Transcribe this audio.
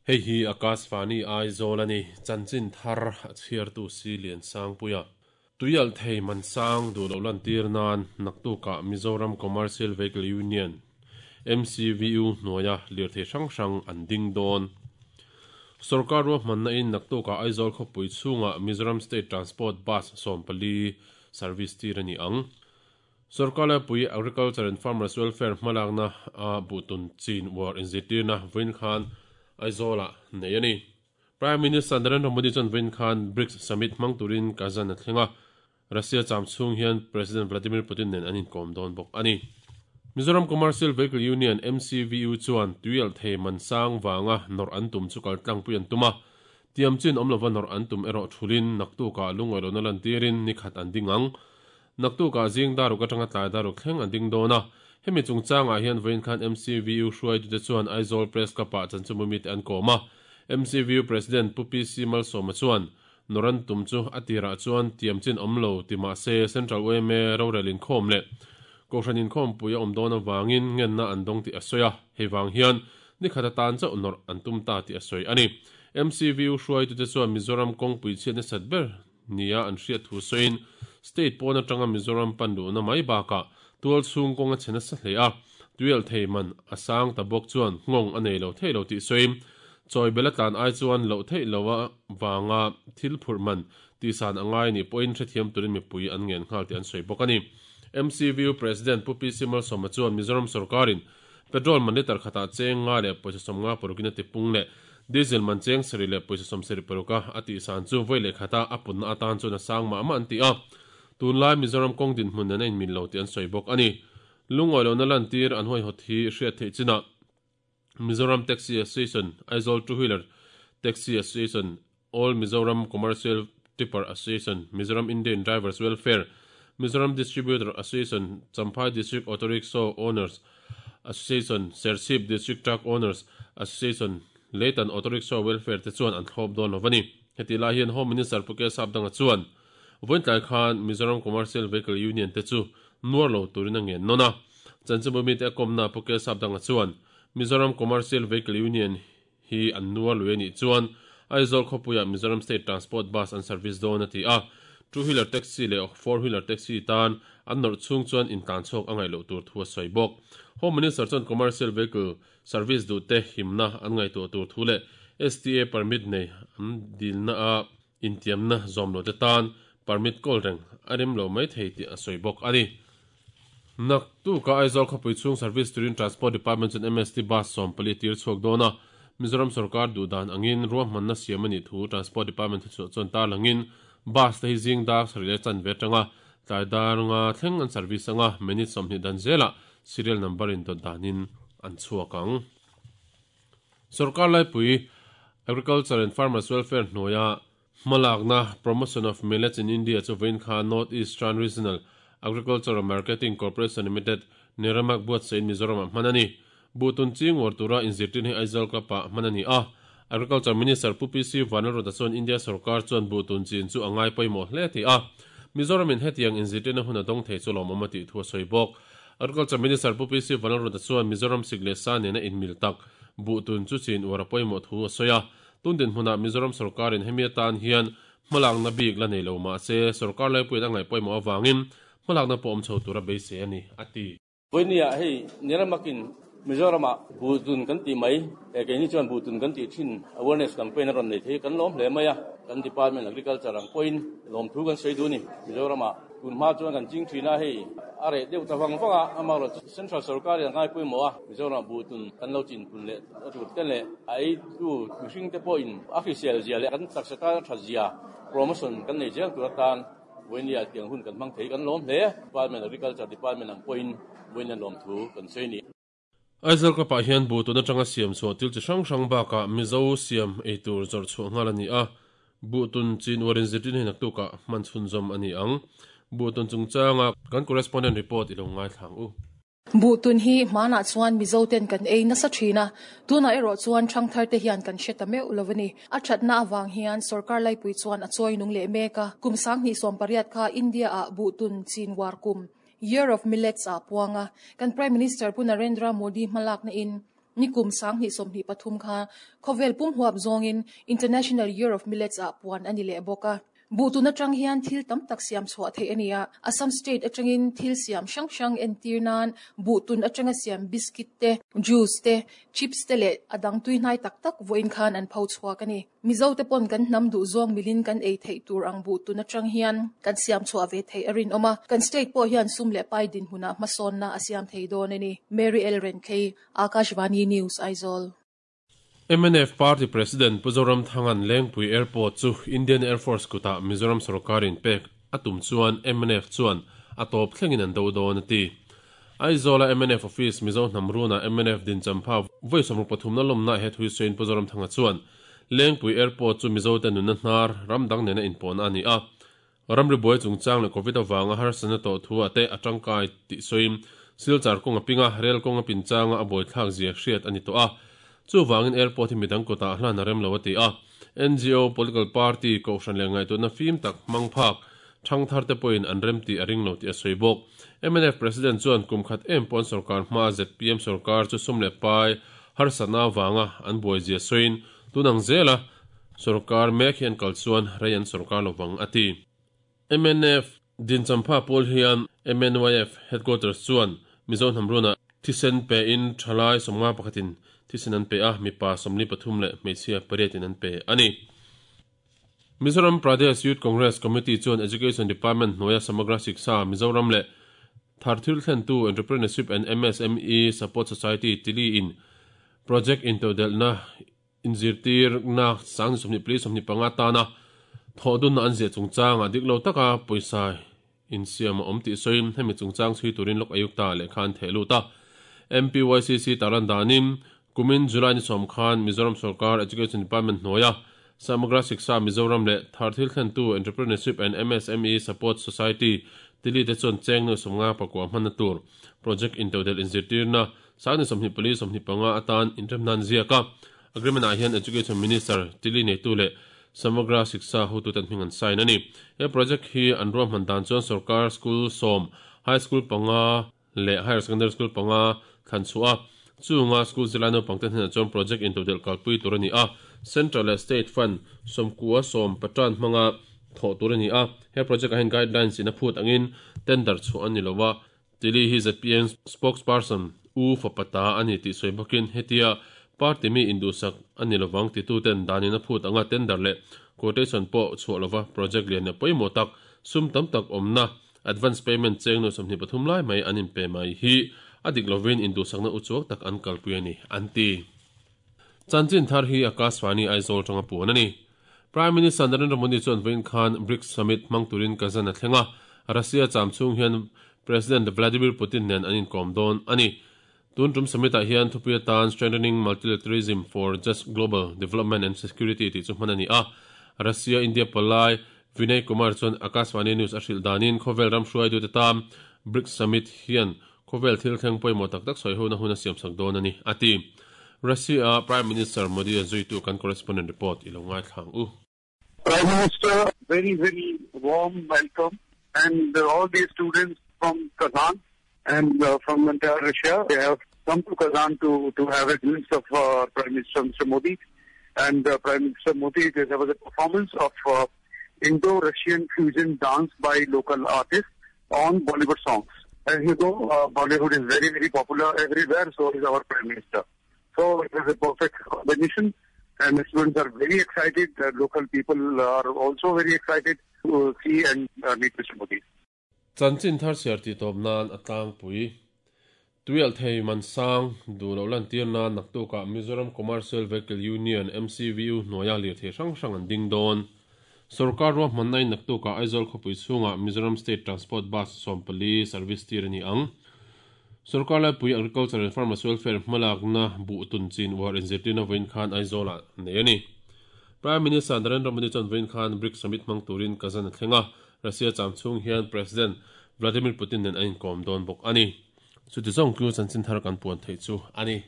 Hei hi Akashvani Aizawl a ni, chanchin thar a chhiartu si Liansangpuia. Tuialh thei man sang duh loh lantir nan naktukah Mizoram Commercial Vehicle Union, MCVU, hnuaia lirthei hrang hrang an ding dawn. Sorkar ruahmanna in naktukah Aizawl khawpui chhungah Mizoram State Transport Bus 14 service tir a ni ang. Sorkar laipui Agriculture and Farmers Welfare hmalakna a buhtun chin uar inzirtirna vawiin khan Aizawlah nei a ni. Prime Minister Narendra Modi chuan vawiin khan BRICS Summit hmang turin Kazan a thleng a, Russia cham chhung hian President Vladimir Putin nen an inkawm dawn bawk a ni. Mizoram Commercial Vehicle Union, MCVU, chuan tuialh thei man sang vanga nawrh an tum chu kal tlangpui an tum a, tiam chin awm lova nawrh an tum erawh thulin naktukah lungawilohna lantirin ni khat an ding ang. Naktukah zing daruk atanga tlai daruk thleng an ding dawn a, hemi chungchangah hian vawiin khan MCVU hruaitute chuan Aizawl Press Club-ah chanchinbumite an kawm a, MCVU President Pu PC Malsawma chuan, Nawran tum chu a tirah chuan tiam chin awm lo ti mah se Central yma rorel inkhawm leh Kohhran inkhawmpui a awm dawn avangin ngenna an dawng tih a sawi a, hei vang hian ni khat atan chauh nawrh an tum ta tih a sawi a ni. MCVU hruaitute chuan Mizoram kawngpui chhiat nasat ber nia an hriat thu sawiin state pawn atanga Mizoram pan luhna mai bakah tual chhung kawng a chhe nasa hle a, tuialh thei man a sang ta bawk chuan nghawng a nei lo theih lo tih sawiin chawi bel a tlan ai chuan loh theih lo a vanga thil phurh man tihsan a ngai nih pawhin hrethiam turin mipui an ngen nghal tih an sawi bawk a ni. MCVU President Pu PC Malsawma chuan Mizoram sawrkarin Petrol man litre khatah cheng nga leh pawisa 50 parukin a tipung leh Diesel man cheng sarih leh pawisa 75 a a tihsan chu vawi leh khata a punna atan chuan a sang mah mah an ti a. Tunlai Mizoram kawng dinhmun nen a inmil lo tih an sawi bawk a ni. Lungawi lohna lantir an huaihawt hi hriat theih chinah Mizoram Taxi Association, Aizawl Two Wheeler Taxi Association, All Mizoram Commercial Tipper Association, Mizoram Indian Drivers Welfare, Mizoram Distributor Association, Champhai District Auto Rickshaw Owners Association, Serchhip District Truck Owners Association, Leitan Auto Rickshaw Welfare te chuan an thlawp dawn lo a ni. Hetih lai hian Home Minister Pu Kesap Danga chuan vawiin tlai khan Mizoram Commercial Vehicle Union te chu nuar lo turin a ngen nawn a. Chanchinbu mite a kawmna Pu Kesap Danga chuan Mizoram Commercial Vehicle Union hi an nuar lui a nih chuan Aizawl khawpuiah Mizoram State Transport Bus an service dawn a ti a, two wheeler taxi leh four wheeler taxi tan an nawrh chhung chuan intlan chhuak a ngaih loh tur thu a sawi bawk. Home Minister chuan commercial vehicle service duhte himna an ngaihtuah tur thu leh STA permit nei an dilna a intiamna zawm lote tan permit kawl reng a rem lo mai thei tih a sawi bawk a ni. Naktuka Aizawl khawpui chhung service turin Transport Department chuan MST bus 14 a tir chhuak dawn a, Mizoram sorkar duh dan angin ruahmanna siam a nih thu Transport Department thuchhuah chuan tarlangin bus te hi zing dar sarih leh chanve atanga tlai dar nga thleng an service anga minute 20 dan zelah serial number in dawt danin an chhuak ang. Sorkar laipui Agriculture and Farmers Welfare hnuaia hmalakna Promotion of Millets in India chu vawiin kha North Eastern Regional Agricultural Marketing Corporation Limited, Neramak buatsaih Mizoramah hman a ni. Buhtun ching uar tura inzirtirna hi Aizawl Club-ah hman a ni a. Agriculture Minister Pu PC Vanlalruata chuan India sorkar chuan buhtun chin chu a ngai pawimawh hle ti a. Mizoramin hetiang inzirtirna hun a dawng thei chu lawmawm a tih thu a sawi bawk. Agriculture Minister Pu PC Vanlalruata chuan Mizoram sik leh sa nena inmil tak buhtun chu chin uar a pawimawh thu a sawi a. Tun dinhmunah Mizoram sorkarin hemi atan hian hmalakna bik la nei lo mah se, sorkar laipuiin a ngaih pawimawh avangin hmalakna pawh awm chho tura beisei a ni, a ti. Vawinia hei Niramakin Mizoramah buhtun kan tih mai, he keini chuan buhtun kan tih thin awareness campaign a rawn nei thei kan lawm hle mai a, kan department agriculture ang pawhin lawmthu kan sawi duh a ni. Mizoramah tun hma chuan kan ching thin a, hei a reh deuh ta vang vang a, amaherawhchu central sorkarin a ngai pawimawh a, Mizoramah buhtun kan lo chinpun leh a tur te leh a eitu mihring te pawhin a hrisel zia leh kan taksa tan a tha zia promotion kan nei zel tur atan vawinia tiang hun kan hmang thei kan lawm hle. Department Agriculture Department ang pawhin vawinia lawmthu kan sawi a ni. Aizawl Cup ah hian buh tun atanga siam chhuah thil chi hrang hrang bakah Mizo siam ei tur zawrh chhuah nghal a ni a, buh tun chin uarin zirtirna hi naktukah hman chhunzawm a ni ang. Buh tun chungchanga kan correspondent report i lo ngaithla ang u. Buh tun hi hmanah chuan Mizo ten kan ei nasa thin a, tunah erawh chuan thangthar te hian kan hre ta meuh lo a ni. A thatna avang hian sorkar laipui chuan a chawi nung leh mek a, kum 2018 kha India ah buh tun chin uar kum, Year of Millets, ah puang a, kan Prime Minister Pu Narendra Modi hmalakna in. Nikum 2023 kha khawvel pum huap zawngin International Year of Millets ah puan a ni leh bawk a. Buhtun atang hian thil tam tak siam chhuah theih a ni a, Assam state atangin thil siam hrang hrang entir nan buhtun atanga siam biscuit te, juice te, chips te leh a dang tuihnai tak tak vawiin khan an pho chhuak a ni. Mizo te pawn kan hnam duh zawng milin kan ei theih tur ang buhtun atang hian kan siam chhuah ve theih a rinawm a, kan state pawh hian sum leh pai dinhmunah hmasawnna a siam thei dawn a ni. Mary L. Renthei, Akashvani News, Aizawl. Mnf Party President Pu Zoramthanga'n Lengpui Airport chu Indian Air Force kutah Mizoram sorkarin pek a tum chuan mnf chuan a tawp thlengin an do dawn a ti. Aizawla mnf Office Mizo hnam runah mnf dinchampha vawi 73 na lawmna he thui sawiin Pu Zoramthanga chuan Lengpui Airport chu Mizote nunna hnar ram dang nena inpawhna a ni a, Ramri buai chungchang leh Covid avanga harsatna tawh thu ah te a tangkai tih sawiin Silchar kawng a ping a, rel kawng a pin changa a buaithlak zia hriat a ni tawh a. Chuvangin airport hi midang kutah hlan a rem lo a ti a. NGO, political party, kohhran leh ngaihtuahna fim tak hmang phak thangthar te pawhin an rem tih a ring lo tih a sawi bawk. Mnf President chuan kum khat em pawh an sorkar hmaa zpm sorkar chu sum leh pai harsatna avanga an buai zia sawiin tun ang zela Sorkar mek hian kal chuan rei an sorkar lo vang, a ti. Mnf Dinchampha pawl hian MNYF Headquarters chuan Mizo hnam runah thisen pe in thalai 51 in thisen an pe a, mipa 43 leh hmeichhia pariat in an pe a ni. Mizoram Pradesh Youth Congress Committee chuan Education Department hnuaia Samagra Shiksha Mizoram leh Thar thil thlentu Entrepreneurship and MSME Support Society tili in Project intodelhna Inzirtirna sang 24 25 tana thawhdunna an ziah chungchangah dik lo taka pawisa insiam a awm tih sawiin hemi chungchang chhui turin Lok Ayukta lehkha an theh lut a. MPYCC tarlan danin kumin July ni sawm khan Mizoram Sorkar Education Department hnuaia Samagra Shiksha Mizoram leh Thar Thil Thlentu Entrepreneurship and MSME Support Society tili te chuan cheng nuai 59 hmanna tur project intodelh inzirtirna Sang ni 24 25 atan inremna an ziak a, agreement ah hian Education Minister Tili neitu leh Samagra Shiksha hotuten hming an sign a ni. He project hi an ruahman dan chuan sorkar school sawm, high school panga leh higher secondary school panga thlan chhuah a, chunga school zirlai naupangte hnenah chuan project intodelh kalpui tur a ni a, central leh state fund sawmkua sawm patan hmanga thawh tur a ni a. He project ah hian guidelines in a phut angin tender chhuah a ni lo a, Tili hi zpm spokesperson U fapa ta a ni tih sawi bawkin hetia party mi induhsak a ni lovang tituten danin a phut anga tender leh quotation pawh chhuah lova project lian leh pawimawh tak sum tam tak awmna advance payment cheng nuai 23 lai mai an inpe mai hi a dik lovin induhsakna uchuak tak an kalpui a ni an ti. Chanchin thar hi Akashvani Aizawl tanga puan a ni. Prime Minister Narendra Modi chuan vawiin khan BRICS Summit hmang turin Kazan a thleng a, Russia cham chhung hian President Vladimir Putin nen an inkawm dawn a ni. Tun tum summit-ah hian thupui atan Strengthening Multilateralism for Just Global Development and Security tih chu hman a ni a. Russia India palai Vinay Kumar chuan Akashvani News a hrilh danin khawvel ram hruaitute tan BRICS Summit hian Khawvel thil thleng pawimawh tak tak sawi hona hun a siamsak dawn a ni, a ti. Russia-a Prime Minister Modi a zuitu kan correspondent report i lo ngaithla ang u. Prime Minister, very very warm welcome and all the students from Kazan and from entire Russia, they have come to Kazan to to have a glimpse of uh, Prime Minister Mr. Modi. And uh, Prime Minister Modi, there was a performance of uh, Indo-Russian fusion dance by local artists on Bollywood songs. As you know, uh, Bollywood is very, very popular everywhere, so is our Prime Minister. So it is a perfect combination, and the students are very excited. The local people are also very excited to see and uh, meet Mr. Modi. Chanchin thar chhiar tih tawp nan a tlangpui. Tuialhthei man sang duh loh lantir nan naktukah Mizoram Commercial Vehicle Union, MCVU, hnuaia lirthei hrang hrang an ding dawn. Sorkar ruahmanna in naktukah Aizawl khawpui chhungah Mizoram State Transport Bus 14 service tir a ni ang. Sorkar laipui Agriculture and Farmers Welfare hmalakna buh tun chin uar inzirtirna vawiin khan Aizawlah nei a ni. Prime Minister Narendra Modi chuan vawiin khan BRICS Summit hmang turin Kazan a thleng a, Russia cham chhung hian President Vladimir Putin nen an inkawm dawn bawk a ni. Chuti zawng chu chanchin thar kan puan theih chu a ni.